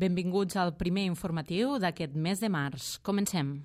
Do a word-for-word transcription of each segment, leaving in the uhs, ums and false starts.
Benvinguts al primer informatiu d'aquest mes de març. Comencem.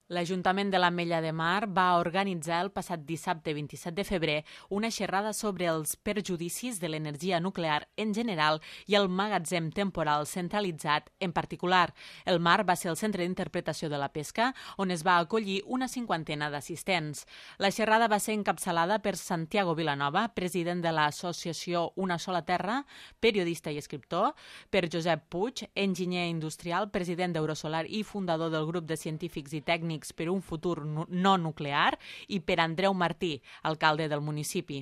L'Ajuntament de l'Ametlla de Mar va organitzar el passat dissabte vint-i-set de febrer una xerrada sobre els perjudicis de l'energia nuclear en general i el magatzem temporal centralitzat en particular. El Mar va ser el centre d'interpretació de la pesca, on es va acollir una cinquantena d'assistents. La xerrada va ser encapçalada per Santiago Vilanova, president de l'associació Una Sola Terra, periodista i escriptor, per Josep Puig, enginyer industrial, president d'Eurosolar i fundador del grup de científics i tècnics per un futur no nuclear, i per Andreu Martí, alcalde del municipi.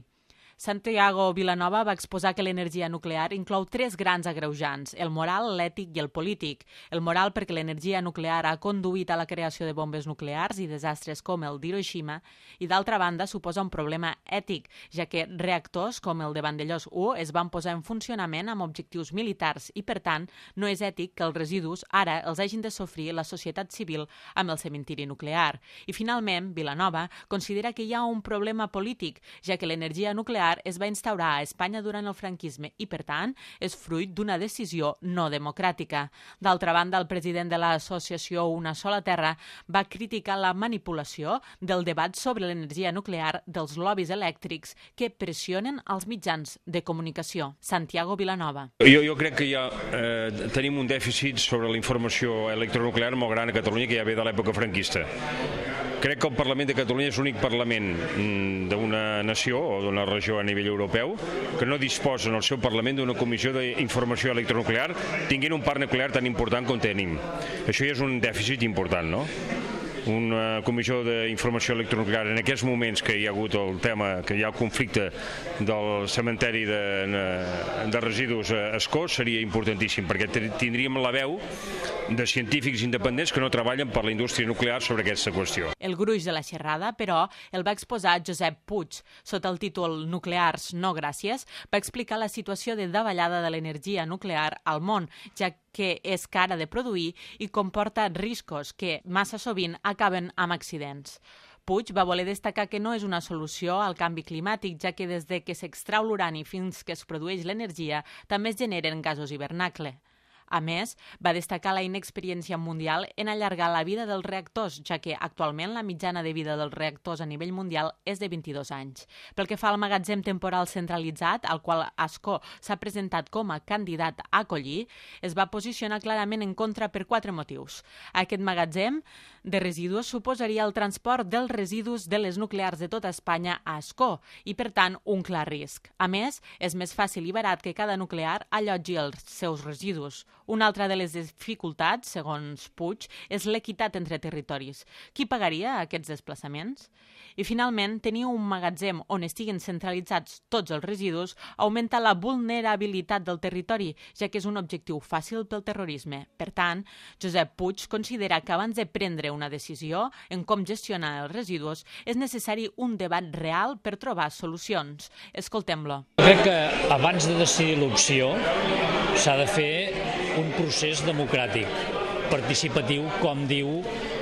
Santiago Vilanova va exposar que l'energia nuclear inclou tres grans agreujants, el moral, l'ètic i el polític. El moral perquè l'energia nuclear ha conduït a la creació de bombes nuclears i desastres com el d'Hiroshima, i d'altra banda suposa un problema ètic, ja que reactors com el de Vandellós u es van posar en funcionament amb objectius militars i, per tant, no és ètic que els residus ara els hagin de sofrir la societat civil amb el cementiri nuclear. I, finalment, Vilanova considera que hi ha un problema polític, ja que l'energia nuclear es va instaurar a Espanya durant el franquisme i, per tant, és fruit d'una decisió no democràtica. D'altra banda, el president de l'associació Una Sola Terra va criticar la manipulació del debat sobre l'energia nuclear dels lobbies elèctrics que pressionen els mitjans de comunicació. Santiago Vilanova. Jo, jo crec que ja eh, tenim un dèficit sobre la informació electronuclear molt gran a Catalunya, que ja ve de l'època franquista. Crec que el Parlament de Catalunya és l'únic Parlament d'una nació o d'una regió a nivell europeu que no disposa en el seu Parlament d'una comissió d'informació electronuclear tinguent un parc nuclear tan important com tenim. Això ja és un dèficit important, no? Una comissió d'informació electronuclear en aquests moments que hi ha hagut el tema, que hi ha el conflicte del cementeri de, de residus a Ascó seria importantíssim, perquè tindríem la veu de científics independents que no treballen per la indústria nuclear sobre aquesta qüestió. El gruix de la xerrada, però, el va exposar Josep Puig. Sota el títol Nuclears no gràcies, va explicar la situació de davallada de l'energia nuclear al món, ja que és cara de produir i comporta riscos que, massa sovint, acaben amb accidents. Puig va voler destacar que no és una solució al canvi climàtic, ja que des de que s'extrau l'urani fins que es produeix l'energia també es generen gasos hivernacle. A més, va destacar la inexperiència mundial en allargar la vida dels reactors, ja que actualment la mitjana de vida dels reactors a nivell mundial és de vint-i-dos anys. Pel que fa al magatzem temporal centralitzat, al qual Ascó s'ha presentat com a candidat a acollir, es va posicionar clarament en contra per quatre motius. Aquest magatzem de residus suposaria el transport dels residus de les nuclears de tota Espanya a Ascó i, per tant, un clar risc. A més, és més fàcil i barat que cada nuclear allotgi els seus residus. Una altra de les dificultats, segons Puig, és l'equitat entre territoris. Qui pagaria aquests desplaçaments? I, finalment, tenir un magatzem on estiguen centralitzats tots els residus augmenta la vulnerabilitat del territori, ja que és un objectiu fàcil pel terrorisme. Per tant, Josep Puig considera que abans de prendre una decisió en com gestionar els residus és necessari un debat real per trobar solucions. Escoltem-lo. Crec que abans de decidir l'opció s'ha de fer un procés democràtic, participatiu, com diu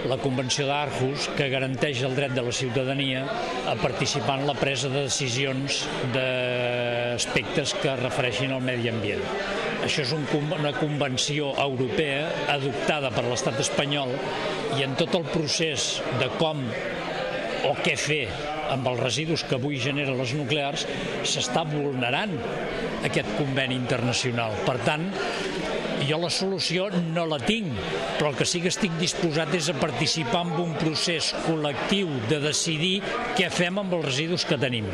la Convenció d'Aarhus, que garanteix el dret de la ciutadania a participar en la presa de decisions d'aspectes que refereixin al medi ambient. Això és un, una convenció europea adoptada per l'estat espanyol i en tot el procés de com o què fer amb els residus que avui generen les nuclears s'està vulnerant aquest conveni internacional. Per tant, jo la solució no la tinc, però el que sí que estic disposat és a participar en un procés col·lectiu de decidir què fem amb els residus que tenim.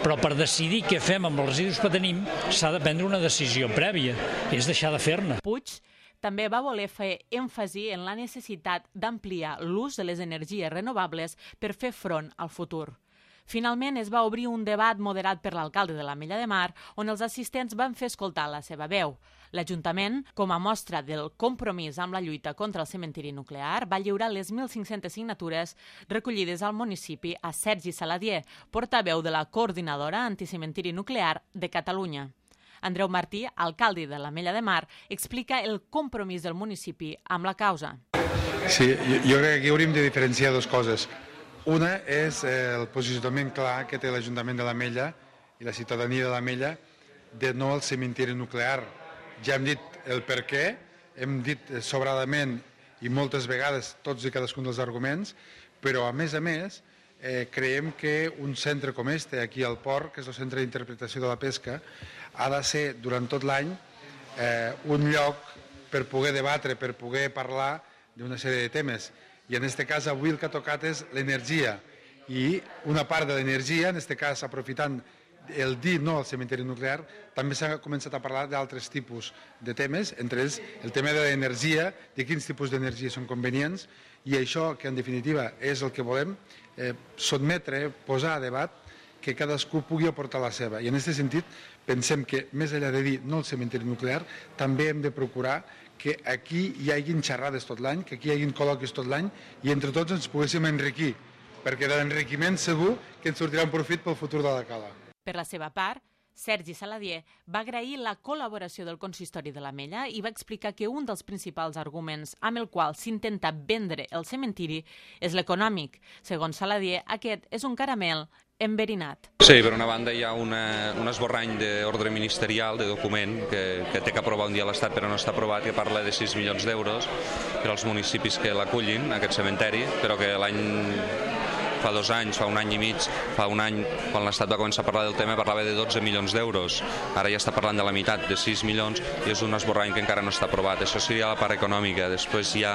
Però per decidir què fem amb els residus que tenim s'ha de prendre una decisió prèvia, és deixar de fer-ne. Puig també va voler fer èmfasi en la necessitat d'ampliar l'ús de les energies renovables per fer front al futur. Finalment, es va obrir un debat moderat per l'alcalde de l'Ametlla de Mar, on els assistents van fer escoltar la seva veu. L'Ajuntament, com a mostra del compromís amb la lluita contra el cementiri nuclear, va lliurar les mil cinc-centes signatures recollides al municipi a Sergi Saladier, portaveu de la Coordinadora Anticementiri Nuclear de Catalunya. Andreu Martí, alcalde de l'Ametlla de Mar, explica el compromís del municipi amb la causa. Sí, jo, jo crec que aquí hauríem de diferenciar dues coses. Una és el posicionament clar que té l'Ajuntament de l'Ametlla i la ciutadania de l'Ametlla de no al cementiri nuclear. Ja hem dit el per què, hem dit sobradament i moltes vegades tots i cadascun dels arguments, però a més a més eh, creiem que un centre com este aquí al port, que és el Centre d'Interpretació de la Pesca, ha de ser durant tot l'any eh, un lloc per poder debatre, per poder parlar d'una sèrie de temes. I en aquest cas avui el que ha tocat és l'energia, i una part de l'energia, en aquest cas aprofitant el dir no al cementiri nuclear, també s'ha començat a parlar d'altres tipus de temes, entre ells el tema de l'energia, de quins tipus d'energia són convenients, i això que en definitiva és el que volem, eh, sotmetre, posar a debat, que cadascú pugui aportar la seva. I en aquest sentit pensem que més enllà de dir no al cementiri nuclear, també hem de procurar que aquí hi hagin xerrades tot l'any, que aquí hi hagin col·loquis tot l'any i entre tots ens poguéssim enriquir, perquè de l'enriquiment segur que ens sortirà un profit pel futur de la cala. Per la seva part, Sergi Saladier va agrair la col·laboració del consistori de l'Ametlla i va explicar que un dels principals arguments amb el qual s'intenta vendre el cementiri és l'econòmic. Segons Saladier, aquest és un caramel enverinat. Sí, per una banda hi ha una, un esborrany d'ordre ministerial, de document, que, que té que aprovar un dia l'Estat però no està aprovat, que parla de sis milions d'euros per als municipis que l'acullin, aquest cementeri, però que l'any... fa dos anys, fa un any i mig, fa un any, quan l'Estat va començar a parlar del tema, parlava de dotze milions d'euros. Ara ja està parlant de la meitat, de sis milions, i és un esborrany que encara no està aprovat. Això seria la part econòmica. Després hi ha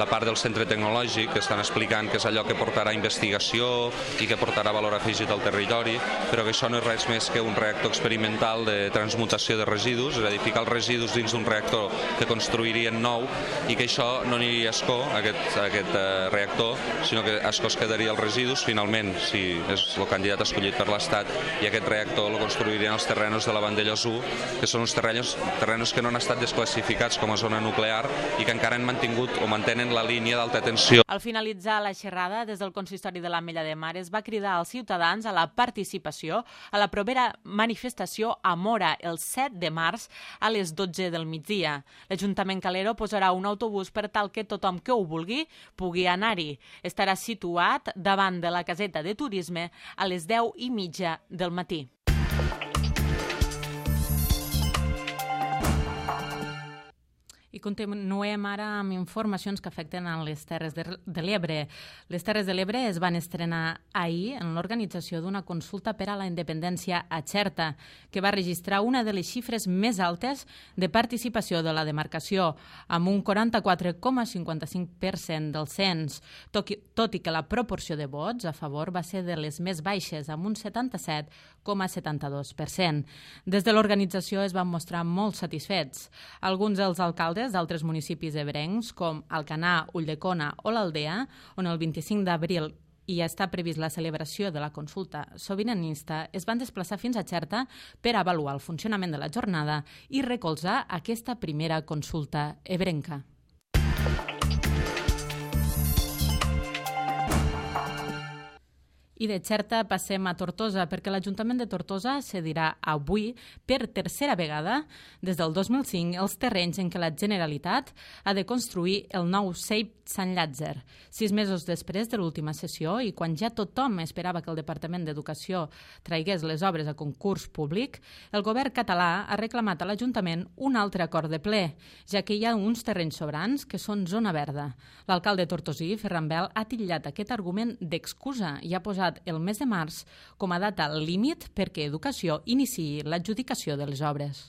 la part del centre tecnològic, que estan explicant que és allò que portarà investigació i que portarà valor afegit al territori, però que això no és res més que un reactor experimental de transmutació de residus, és a dir, ficar els residus dins d'un reactor que construirien nou, i que això no aniria a escó, aquest, aquest uh, reactor, sinó que a escó es quedaria el residus residus, finalment, si és el candidat escollit per l'Estat, i aquest reactor el construirien els terrenos de la Vandellòs u, que són uns terrenos, terrenos que no han estat desclassificats com a zona nuclear i que encara han mantingut o mantenen la línia d'alta tensió. Al finalitzar la xerrada, des del consistori de l'Ametlla de Mar es va cridar als ciutadans a la participació a la propera manifestació a Móra el set de març a les dotze del migdia. L'Ajuntament Calero posarà un autobús per tal que tothom que ho vulgui pugui anar-hi. Estarà situat davant de la caseta de turisme a les deu i mitja del matí. I continuem ara amb informacions que afecten a les Terres de, de l'Ebre. Les Terres de l'Ebre es van estrenar ahir en l'organització d'una consulta per a la independència a Xerta, que va registrar una de les xifres més altes de participació de la demarcació, amb un quaranta-quatre coma cinquanta-cinc per cent del cens, tot i, tot i que la proporció de vots a favor va ser de les més baixes, amb un setanta-set coma setanta-dos per cent. Des de l'organització es van mostrar molt satisfets. Alguns dels alcaldes d'altres municipis ebrencs, com Alcanar, Ulldecona o l'Aldea, on el vint-i-cinc d'abril hi està previst la celebració de la consulta sobiranista, es van desplaçar fins a Xerta per avaluar el funcionament de la jornada i recolzar aquesta primera consulta ebrenca. I de Xerta passem a Tortosa, perquè l'Ajuntament de Tortosa cedirà avui, per tercera vegada, des del dos mil cinc, els terrenys en què la Generalitat ha de construir el nou C E I P Sant Llàtzer. Sis mesos després de l'última sessió i quan ja tothom esperava que el Departament d'Educació traigués les obres a concurs públic, el govern català ha reclamat a l'Ajuntament un altre acord de ple, ja que hi ha uns terrenys sobrants que són zona verda. L'alcalde tortosí, Ferran Bel, ha titllat aquest argument d'excusa i ha posat el mes de març com a data límit perquè Educació iniciï l'adjudicació de les obres.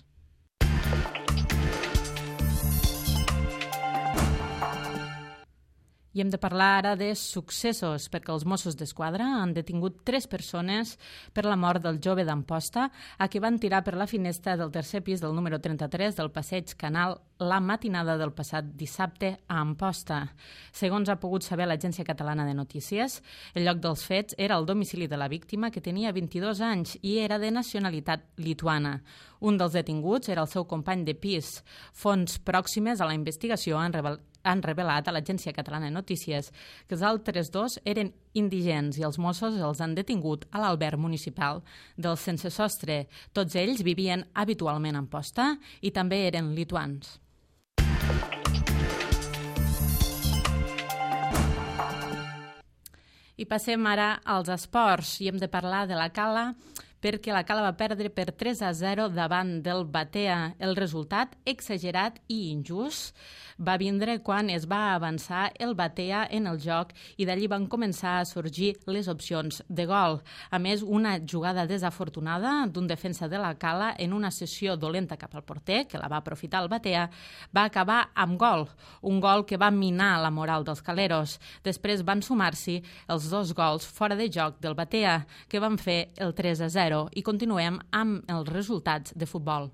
I hem de parlar ara de successos, perquè els Mossos d'Esquadra han detingut tres persones per la mort del jove d'Amposta, a qui van tirar per la finestra del tercer pis del número trenta-tres del passeig Canal la matinada del passat dissabte a Amposta. Segons ha pogut saber l'Agència Catalana de Notícies, el lloc dels fets era el domicili de la víctima, que tenia vint-i-dos anys i era de nacionalitat lituana. Un dels detinguts era el seu company de pis. Fonts pròximes a la investigació han revelat han revelat a l'Agència Catalana de Notícies que els altres dos eren indigents i els Mossos els han detingut a l'alberg municipal del Sense Sostre. Tots ells vivien habitualment a Amposta i també eren lituans. I passem ara als esports i hem de parlar de la cala perquè la Cala va perdre per tres a zero davant del Batea. El resultat, exagerat i injust, va vindre quan es va avançar el Batea en el joc i d'allí van començar a sorgir les opcions de gol. A més, una jugada desafortunada d'un defensa de la Cala en una sessió dolenta cap al porter, que la va aprofitar el Batea, va acabar amb gol, un gol que va minar la moral dels caleros. Després van sumar-s'hi els dos gols fora de joc del Batea, que van fer el tres a zero, i continuem amb els resultats de futbol.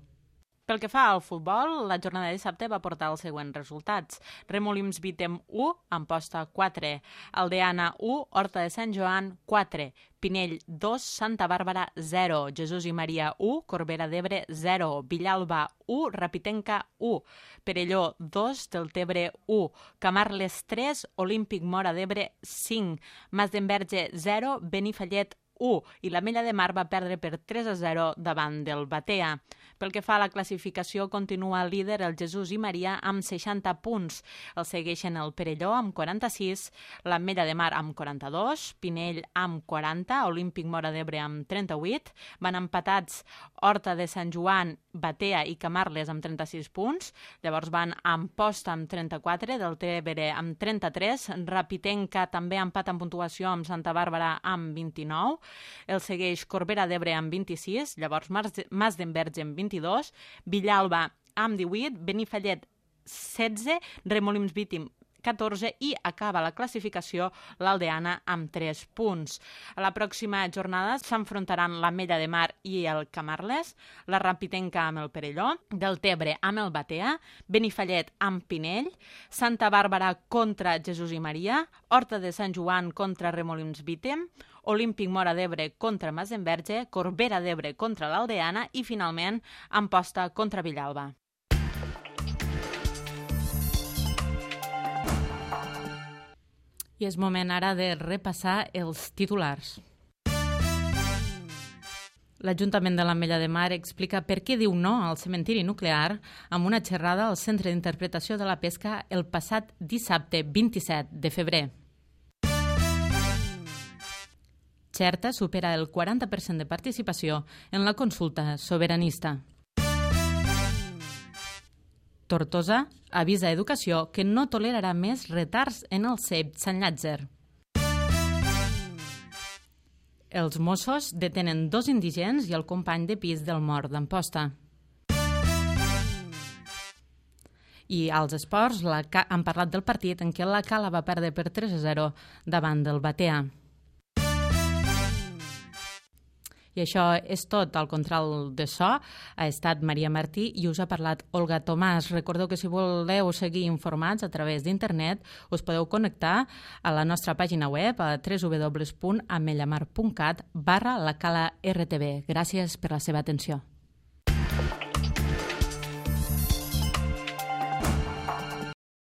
Pel que fa al futbol, la jornada de dissabte va portar els següents resultats. Remolims Vítem u, Amposta quatre, Aldeana u, Horta de Sant Joan quatre, Pinell dos, Santa Bàrbara zero, Jesús i Maria u, Corbera d'Ebre zero, Villalba u, Rapitenca u, Perelló dos, Deltebre u, Camarles tres, Olímpic Móra d'Ebre cinc, Mas d'Enverge zero, Benifallet u, i l'Ametlla de Mar va perdre per tres a zero davant del Batea. Pel que fa a la classificació, continua líder el Jesús i Maria amb seixanta punts. El segueixen el Perelló amb quaranta-sis, l'Ametlla de Mar amb quaranta-dos, Pinell amb quaranta, Olímpic Móra d'Ebre amb trenta-vuit, van empatats Horta de Sant Joan, Batea i Camarles amb trenta-sis punts, llavors van Amposta amb trenta-quatre, Deltebre amb trenta-tres, Rapitenca també empat en puntuació amb Santa Bàrbara amb vint-i-nou, el segueix Corbera d'Ebre amb vint-i-sis, llavors Mas d'Enverge amb vint-i-dos, Villalba amb divuit, Benifallet setze, Remolims Vítim catorze i acaba la classificació l'Aldeana amb tres punts. A la pròxima jornada s'enfrontaran l'Ametlla de Mar i el Camarles, la Rapitenca amb el Perelló, Deltebre amb el Batea, Benifallet amb Pinell, Santa Bàrbara contra Jesús i Maria, Horta de Sant Joan contra Remolims Vítem, Olímpic Móra d'Ebre contra Mas d'Enverge, Corbera d'Ebre contra l'Aldeana i, finalment, Amposta contra Villalba. I és moment ara de repassar els titulars. L'Ajuntament de l'Ametlla de Mar explica per què diu no al cementiri nuclear amb una xerrada al Centre d'Interpretació de la Pesca el passat dissabte vint-i-set de febrer. Xerta supera el quaranta per cent de participació en la consulta sobiranista. Tortosa avisa a Educació que no tolerarà més retards en el C E P Sant Llàtzer. Els Mossos detenen dos indigents i el company de pis del mort d'Amposta. I als esports la Ca- han parlat del partit en què la Cala va perdre per tres a zero davant del Batea. I això és tot. El control de so ha estat Maria Martí i us ha parlat Olga Tomàs. Recordeu que si voleu seguir informats a través d'internet us podeu connectar a la nostra pàgina web a w w w punt amellamar punt cat barra la Cala R T V. Gràcies per la seva atenció.